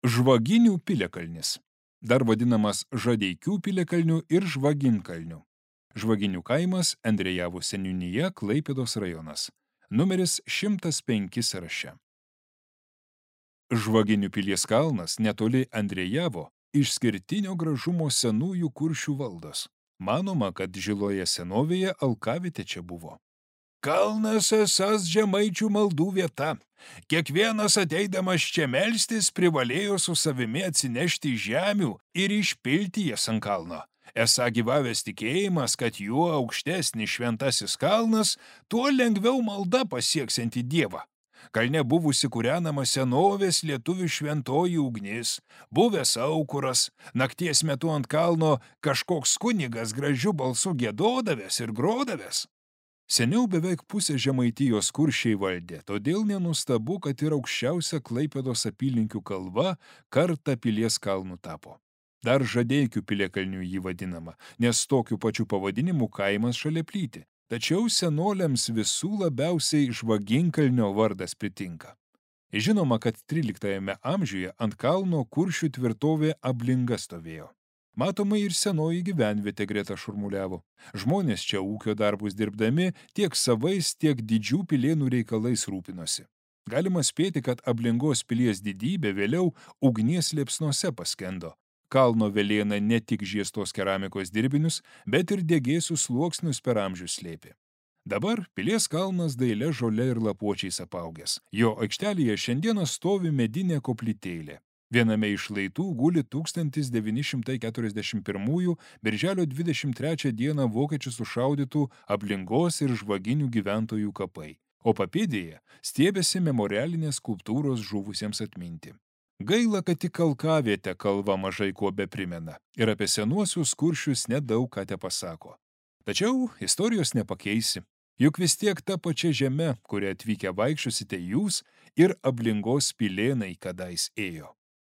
Žvaginių piliakalnis. Dar vadinamas Žadeikių piliakalniu ir Žvaginkalniu. Žvaginių kaimas Endrejavų seniūnija, Klaipėdos rajonas. Numeris 105 sąraše. Žvaginių pilies kalnas netoli Endrejavo išskirtinio gražumo senųjų Kuršių valdos. Manoma, kad žiloje senovėje alkavietė čia buvo. Kalnas esas žemaičių maldų vieta. Kiekvienas ateidamas čia melstis privalėjo su savimi atsinešti žemių ir išpilti jas ant kalno. Esą gyvavęs tikėjimas, kad juo aukštesnis šventasis kalnas, tuo lengviau malda pasieksianti Dievą. Kalne buvusi kūrenama senovės lietuvių šventoji ugnis, buvęs aukuras, nakties metu ant kalno kažkoks kunigas gražiu balsu giedodavęs ir grodavęs. Seniau beveik pusę Žemaitijos Kuršiai valdė, todėl nenustabu, kad ir aukščiausia Klaipėdos apylinkių kalva kartą pilies kalnu tapo. Dar Žadeikių piliakalniu jį vadinama, nes tokiu pačiu pavadinimu kaimas šalia plyti. Tačiau senoliams visų labiausiai Žvaginkalnio vardas pritinka. Žinoma, kad 13 amžiuje ant kalno Kuršių tvirtovė Ablinga stovėjo. Matoma ir senoji gyvenvietė greta šurmuliavo. Žmonės čia ūkio darbus dirbdami tiek savais, tiek didžių pilėnų reikalais rūpinosi. Galima spėti, kad Ablingos pilies didybė vėliau ugnies liepsnose paskendo. Kalno velėna ne tik žiestos keramikos dirbinius, bet ir degėsių sluoksnius per amžius slėpė. Dabar pilies kalnas daile žole ir lapuočiais apaugęs. Jo aikštelėje šiandieną stovi medinė koplytėlė. Viename iš šlaitų guli 1941 birželio 23 dieną vokiečių sušaudytų Ablingos ir Žvaginių gyventojų kapai, o papėdėje stiebėsi memorialinės skulptūros žuvusiems atminti. Gaila, kad tik alkavietę kalva mažai kuo beprimena ir apie senuosius Kuršius nedaug ką tepasako. Tačiau istorijos nepakeisi, juk vis tiek ta pačia žeme, kuria atvykę vaikščiosite jūs ir Ablingos pilėnai kadais ėjo.